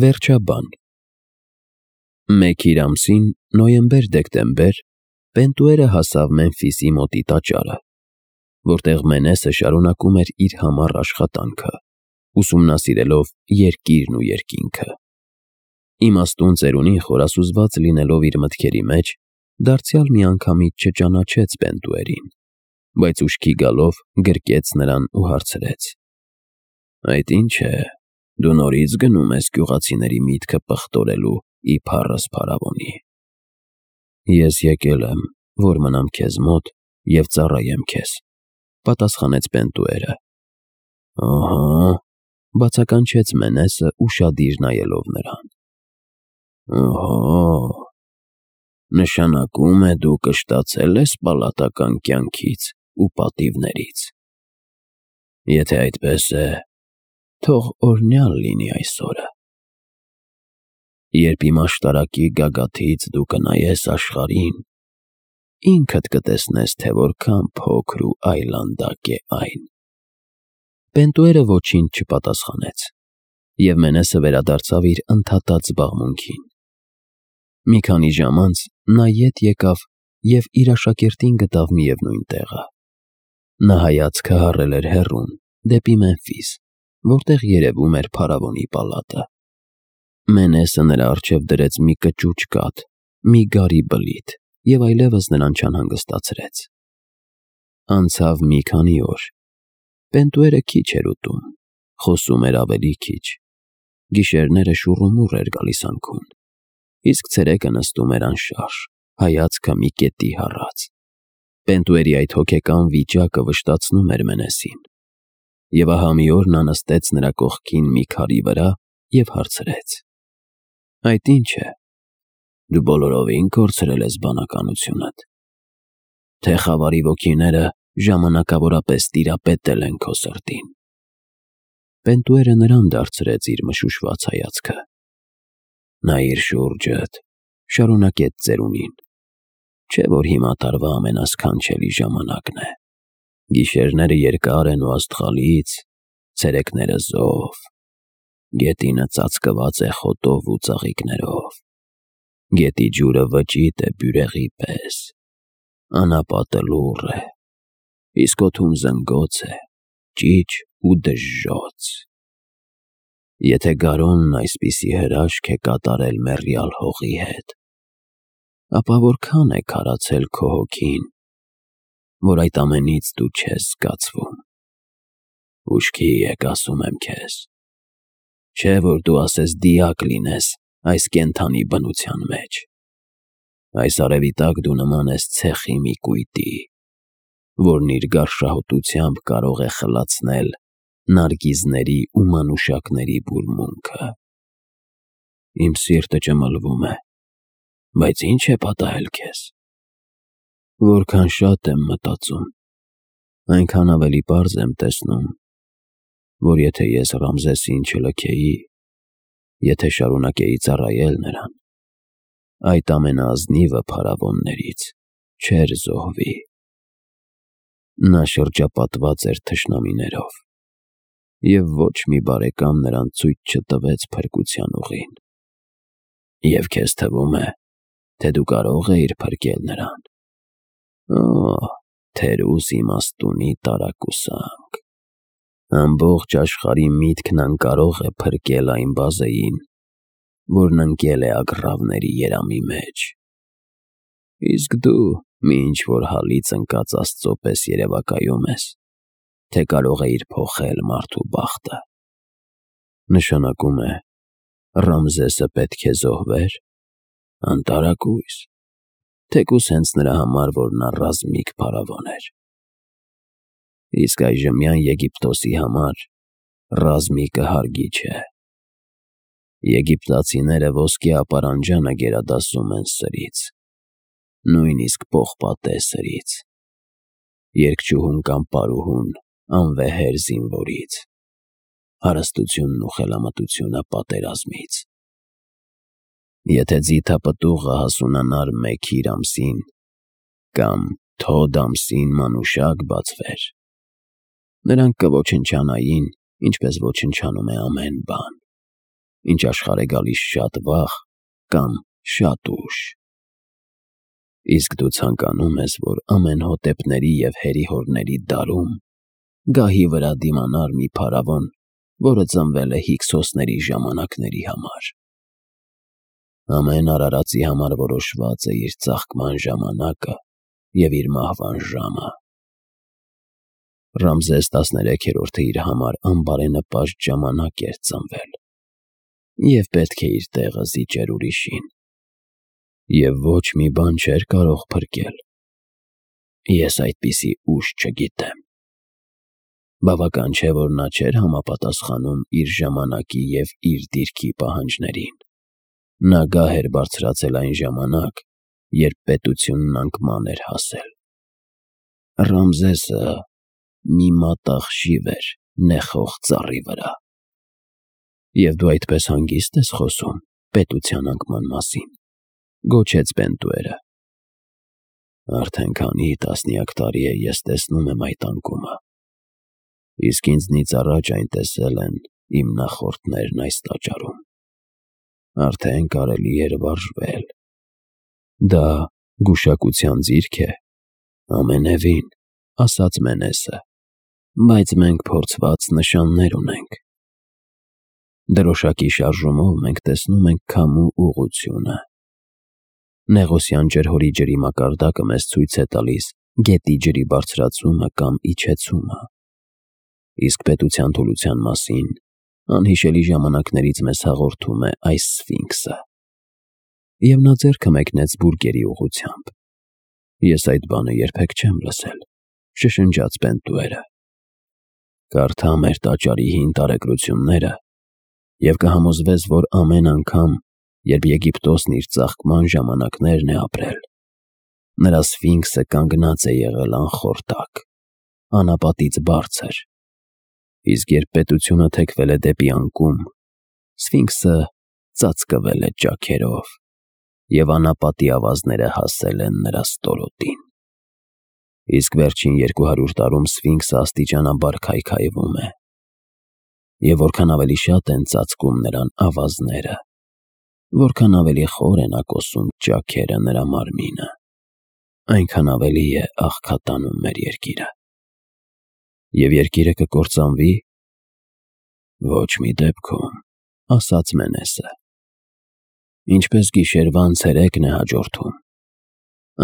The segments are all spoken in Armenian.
Վերջաբան Մեկ իր ամսին, նոյեմբեր-դեկտեմբեր, Պենտուերը հասավ Մեմֆիսի մոտի տաճարը, որտեղ Մենեսը շարունակում էր իր համառ աշխատանքը, ուսումնասիրելով երկիրն ու երկինքը։ Իմաստուն ծերունին խորասուզված լինելով իր մտքերի մեջ, դարձյալ միանգամից չճանաչեց Պենտուերին, բայց ուշքի գալով գրկեց նրան ու հարցրեց. «Այդ ի՞նչ է, դու նորից գնում ես գյուղացիների միտքը պղտորելու ի փառս փարավոնի»։ «Ես եկել եմ, որ մնամ քեզ մոտ և ծառայեմ քեզ», պատասխանեց Պենտուերը։ «Ահա», բացականչեց Մենեսը ուշադիր նայելով նրան։ «Ահա, նշանակում է դու կշտացել ես պալատական կյանքից ու պատիվներից։ Եթե այդպես է, թող օրհնյալ լինի այս օրը։ Երբ իմ աշտարակի գագաթից դու կնայես աշխարհին, ինքդ կտեսնես, թե որքան փոքր ու այլանդակ է այն»։ Պենտուերը ոչինչ չպատասխանեց, և Մենեսը վերադարձավ իր ընդհատած զբաղմունքին։ Մի քանի ժամ անց նա ետ եկավ և իր աշակերտին գտավ միևնույն տեղը։ Նա հայացքը հառել էր հեռուն, դեպի Մեմֆիս, որտեղ երևում էր փարավոնի պալատը։ Մենեսը նրա առջև դրեց մի կճուճ կաթ, մի գարի բլիթ և այլևս նրան չանհանգստացրեց։ Անցավ մի քանի օր։ Պենտուերը քիչ էր ուտում, խոսում էր ավելի քիչ։ Գիշերները շուռումուռ էր գալիս անքուն, իսկ ցերեկը նստում էր անշարժ, հայացքը մի կետի հառած։ Պենտուերի այդ հոգեկան վիճակը վշտացնում էր Մենեսին։ Եվ ահա մի օր նա նստեց նրա կողքին մի քարի վրա և հարցրեց. «Այդ ի՞նչ է, դու բոլորովին կորցրել ես բանականությունդ, թե խավարի ոգիները ժամանակավորապես տիրապետել են քո սրտին»։ Պենտուերը նրան դարձրեց իր մշուշված հայացքը։ «Նայիր շուրջդ», շարունակեց ծերունին, «չէ՞ որ հիմա տարվա ամենասքանչելի ժամանակն է։ Գիշերները երկար են ու աստղալից, ցերեկները զով, գետինը ծածկված է խոտով ու ծաղիկներով, գետի ջուրը վճիտ է բյուրեղի պես, անապատը լուռ է, իսկ օդում զնգոց է, ճիչ ու դժժոց։ Եթե գարունն այսպիսի հրաշք է կատարել մեռյալ հողի հետ, ապա որքան է քարացել քո հոգին, որ այդ ամենից դու չես զգացվում։ Ուշքի եկ, ասում եմ քեզ, չէ՞ որ դու ասես դիակ լինես այս կենդանի բնության մեջ։ Այս արևի տակ դու նման ես ցեխի մի կույտի, որն իր գարշահոտությամբ կարող է խլացնել նարգիզների ու մանուշակների բուրմունքը։ Իմ սիրտը ճմլվում է, բայց ի՞նչ է պատահել քեզ։ Որքան շատ եմ մտածում, այնքան ավելի պարզ եմ տեսնում, որ եթե ես Ռամզեսին չլքեի, եթե շարունակեի ծառայել նրան, այդ ամենաազնիվը փարավոններից չէր զոհվի։ Նա շրջապատված էր թշնամիներով, և ոչ մի բարեկամ նրան ցույց չտվեց փրկության ուղին։ Եվ քեզ թվում է, թե դու կարող էիր փրկել նրան։ Օ՜, թերուս իմաստունի տարակուսանք։ Ամբողջ աշխարհի միտքն անկարող է փրկել այն բազեին, որն ընկել է ագռավների երամի մեջ։ Իսկ դու մի ինչ-որ հալից ընկած աստծո պես երևակայում ես, թե կարող էիր փոխել մարդու բախտը։ Նշանակում է, Ռամզեսը պետք է զոհվեր։ Անտարակույս, թեկուզ հենց նրա համար, որ նա ռազմիկ փարավոն էր։ Իսկ այժմյան Եգիպտոսի համար ռազմիկը հարգի չէ։ Եգիպտացիները ոսկե ապարանջանը գերադասում են սրից, նույնիսկ պողպատե սրից, երգչուհուն կամ պարուհուն անվեհեր զինվորից, հարստությունն ու խելամտությունը պատերազմից։ Եթե ձիթապտուղը հասունանար մեկ իր ամսին կամ Թոդ ամսին մանուշակ բացվեր, նրանք կոչնչանային, ինչպես ոչնչանում է ամեն բան։ ինչ աշխարհ է գալիս շատ վաղ կամ շատ ուշ։ Իսկ դու ցանկանում ես, որ ամեն հոտեպների և հերիհորների դարում գահի վրա դիմանար մի փարավոն, որը ծնվել է Հիքսոսների ժամանակների համար։ Ամեն արարածի համար որոշված է իր ծաղկման ժամանակը և իր մահվան ժամը։ Ռամզես 13-րդը իր համար անբարենպաստ ժամանակ էր ծնվել և պետք է իր տեղը զիջեր ուրիշին, և ոչ մի բան չէր կարող փրկել։ Ես այդպիսի ուժ չգիտեմ։ Բավական չէ, որ նա չէր համապատասխանում իր ժամանակի և իր դիրքի պահանջներին։ Նա գահ էր բարձրացել այն ժամանակ, երբ պետությունն անկման էր հասել։ Ռամզեսը մի մատաղ շիվ էր նեխող ծառի վրա։ «Եվ դու այդպես հանգիստ ես խոսում պետության անկման մասին», գոչեց Պենտուերը։ «Արդեն քանի տասնյակ տարի է ես տեսնում եմ այդ անկումը, իսկ ինձնից առաջ այն տեսել են իմ նախորդներն այս տաճարում։ Արդեն կարելի էր վարժվել։ Դա գուշակության ձիրք է»։ «Ամենևին», ասաց Մենեսը, «բայց մենք փորձված նշաններ ունենք։ Դրոշակի շարժումով մենք տեսնում ենք քամու ուղղությունը։ Նեղոսյան ջրհորի ջրի մակարդակը մեզ ցույց է տալիս գետի ջրի բարձրացումը կամ իջեցումը։ Իսկ պետության թուլության մասին անհիշելի ժամանակներից մեզ հաղորդում է այս Սֆինքսը»։ Եվ նա ձեռքը մեկնեց բուրգերի ուղղությամբ։ «Ես այդ բանը երբեք չեմ լսել», շշնջաց Պենտուերը։ «Կարդա մեր տաճարի հին տարեգրությունները և կհամոզվես, որ ամեն անգամ, երբ Եգիպտոսն իր ծաղկման ժամանակներն է ապրել, նրա Սֆինքսը կանգնած է եղել անխորտակ, անապատից բարձր, իսկ երբ պետությունը թեքվել է դեպի անկում, Սֆինքսը ծածկվել է ճաքերով, և անապատի ավազները հասել են նրա ստորոտին։ Իսկ վերջին 200 տարում Սֆինքսը աստիճանաբար քայքայվում է, և որքան ավելի շատ են ծածկում նրան ավազները, որքան ավելի խոր է նա կոսում ճաքերը նրա մարմինը, այնքան ավելի է աղքատանում մեր երկիրը։ Եվ երկիրը կկործանվի»։ «Ոչ մի դեպքում», ասաց Մենեսը։ «Ինչպես գիշերվան ցերեկն է հաջորդում,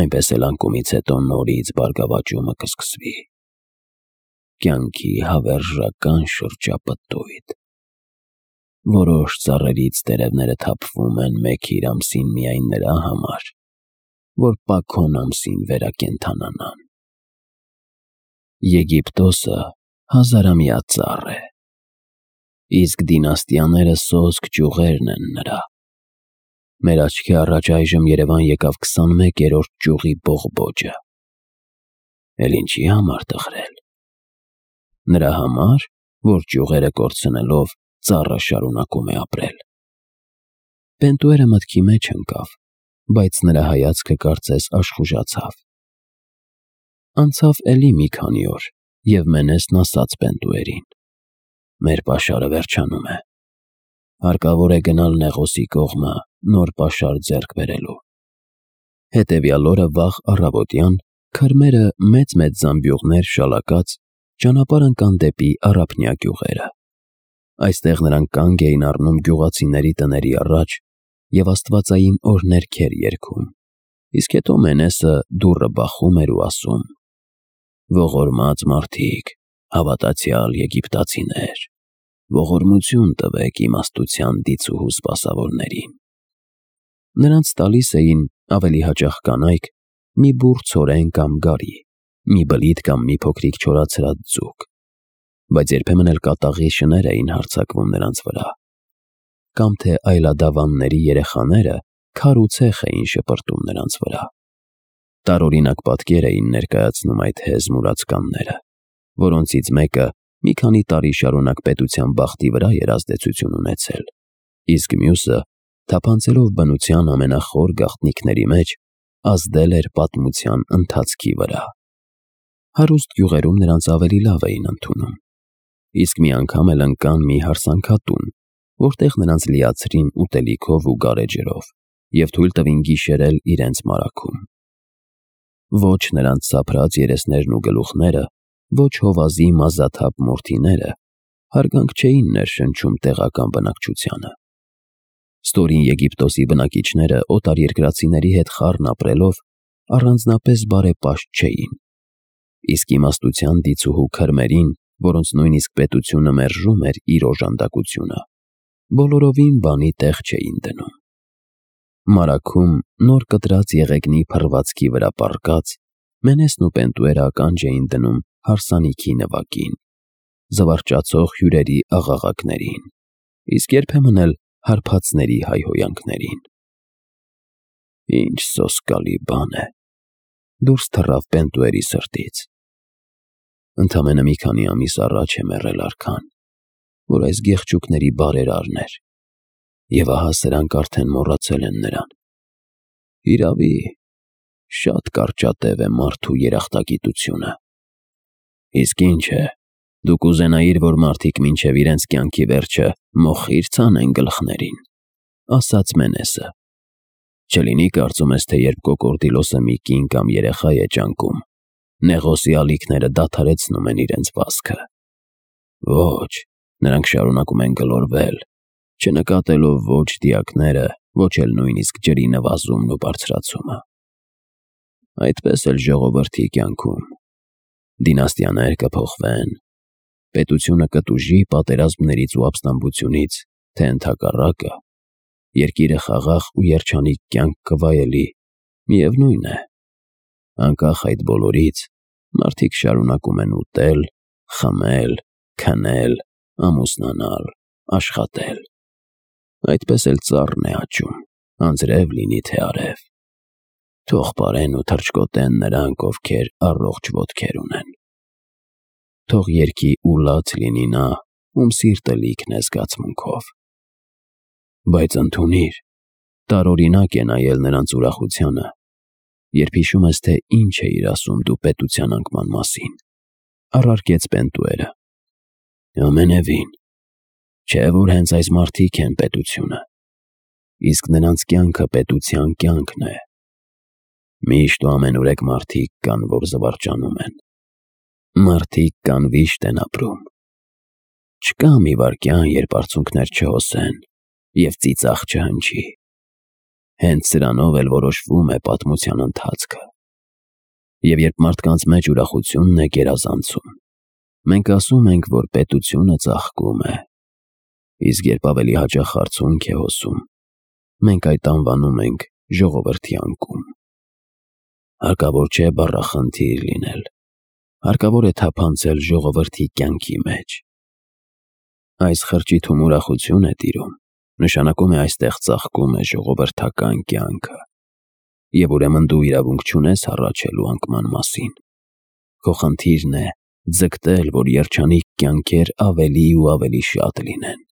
այնպես էլ անկումից հետո նորից բարգավաճումը կսկսվի։ Կյանքի հավերժական շրջապտույտ։ Որոշ ծառերից տերևները թափվում են մեկ-իր ամսին միայն նրա համար, որ Պաքոն ամսին վերակենդանանան։ Եգիպտոսը հազարամյա ծառ է, իսկ դինաստիաները սոսկ ճյուղերն են նրա։ Մեր աչքի առաջ այժմ երևան եկավ 21-րդ ճյուղի բողբոջը։ Էլ ինչի համար տխրել։ Նրա համար, որ ճյուղերը կորցնելով ծառը շարունակում է ապրել»։ Պենտուերը մտքի մեջ ընկավ, բայց նրա հայացքը կարծես աշխուժացավ։ Անցավ էլի մի քանի օր, և Մենեսն ասաց Պենտուերին. «Մեր պաշարը վերջանում է։ Հարկավոր է գնալ Նեղոսի կողմը նոր պաշար ձեռք բերելու»։ Հետևյալ օրը վաղ առավոտյան քրմերը մեծ-մեծ զամբյուղներ շալակած ճանապարհ ընկան դեպի առափնյա գյուղերը։ Այստեղ նրանք կանգ էին առնում գյուղացիների տների առաջ և աստվածային օրհներգեր երգում, իսկ հետո Մենեսը դուռը բախում էր ու ասում. «Ողորմած մարդիկ, հավատացյալ եգիպտացիներ, ողորմություն տվեք իմաստության դիցուհու սպասավորներին»։ Նրանց տալիս էին, ավելի հաճախ կանայք, մի բուռ ցորեն կամ գարի, մի բլիթ կամ մի փոքրիկ չորացրած ձուկ, բայց երբեմն էլ կատաղի շներ էին հարձակվում նրանց վրա, կամ թե այլադավանների երեխաները քար ու ցեխ էին շպրտում նրանց վրա։ Տարօրինակ պատկեր էին ներկայացնում այդ հեզ մուրացկանները, որոնցից մեկը մի քանի տարի շարունակ պետության բախտի վրա էր ազդեցություն ունեցել, իսկ մյուսը, թափանցելով բնության ամենախոր գաղտնիքների մեջ, ազդել էր պատմության ընթացքի վրա։ Հարուստ գյուղերում նրանց ավելի լավ էին ընդունում, իսկ մի անգամ էլ ընկան մի հարսանքատուն, որտեղ նրանց լիացրին ուտելիքով ու գարեջրով և թույլ տվին գիշերել իրենց մարաքում։ Ոչ նրանց սափրած երեսներն ու գլուխները, ոչ հովազի մազաթափ մորթիները հարգանք չէին ներշնչում տեղական բնակչությանը։ Ստորին Եգիպտոսի բնակիչները օտարերկրացիների հետ խառն ապրելով առանձնապես բարեպաշտ չէին, իսկ իմաստության դիցուհու քրմերին, որոնց նույնիսկ պետությունը մերժում էր իր օժանդակությունը, բոլորովին բանի տեղ չէին դնում։ Մարաքում նոր կտրած եղեգնի փռվածքի վրա պառկած Մենեսն ու Պենտուերը ականջ էին դնում հարսանիքի նվագին, զվարճացող հյուրերի աղաղակներին, իսկ երբեմն էլ հարբածների հայհոյանքներին։ Ինչ սոսկալի բան է, դուրս թռավ Պենտուերի սրտից։ Ընդամենը մի քանի ամիս առաջ է մեռել արքան, որ այս գեղչուկների բարերարն էր, և ահա սրանք արդեն մոռացել են նրան։ Իրավի, շատ կարճատև է մարդու երախտագիտությունը։ Իսկ ինչ է, դու կուզենայիր, որ մարդիկ մինչև իրենց կյանքի վերջը մոխիր ցանեն գլխներին, ասաց Մենեսը։ Չլինի կարծում ես, թե երբ կոկորդիլոսը մի կին կամ երեխա է ճանկում, նեղոսի ալիքները դադարեցնում են իրենց վազքը։ Ոչ, նրանք շարունակում են գլորվել, չնկատելով ոչ դիակները, ոչ էլ նույնիսկ ջրի նվազումն ու բարձրացումը։ Այդպես էլ ժողովրդի կյանքում դինաստիաներ կփոխվեն, պետությունը կտուժի պատերազմներից ու ապստամբությունից, թե ընդհակառակը, երկիրը խաղաղ ու երջանիկ կյանք կվայելի, միևնույն է, անկախ այդ բոլորից, մարդիկ շարունակում են ուտել, խմել, քնել, ամուսնանալ, աշխատել։ Այդպես էլ ծառն է աճում, անձրև լինի թե արև։ Թող պարեն ու թռչկոտեն նրանք, ովքեր առողջ ոտքեր ունեն։ Թող երգի ու լաց լինի նա, ում սիրտը լիքն է զգացմունքով։ Բայց ընդունիր, տարօրինակ է նայել նրանց ուրախությանը, երբ հիշում ես, թե ինչ էիր ասում դու պետության անկման մասին, առարկեց Պենտուերը։ Ամենևին, չէ՞ որ հենց այս մարդիկ են պետությունը, իսկ նրանց կյանքը պետության կյանքն է։ Միշտ ու ամենուրեք մարդիկ կան, որ զվարճանում են։ Մարդիկ կան վիշտ են ապրում։ Չկա մի վայրկյան, երբ արցունքներ չհոսեն և ծիծաղ չհնչի։ Հենց սրանով էլ որոշվում է պատմության ընթացքը։ Եվ երբ մարդկանց մեջ ուրախությունն է գերազանցում, մենք ասում ենք, որ պետությունը ծաղկում է, իսկ երբ ավելի հաճախ արցունք է հոսում, մենք այդ անվանում ենք ժողովրդի անկում։ Հարկավոր չէ բառախնդիր լինել, հարկավոր է թափանցել ժողովրդի կյանքի մեջ։ Այս խրճիթում ուրախություն է տիրում, նշանակում է այստեղ ծաղկում է ժողովրդական կյանքը, և ուրեմն դու իրավունք չունես հառաչելու անկման մասին։ Քո խնդիրն է ձգտել, որ երջանիկ կյանքեր ավելի ու ավելի շատ լինեն։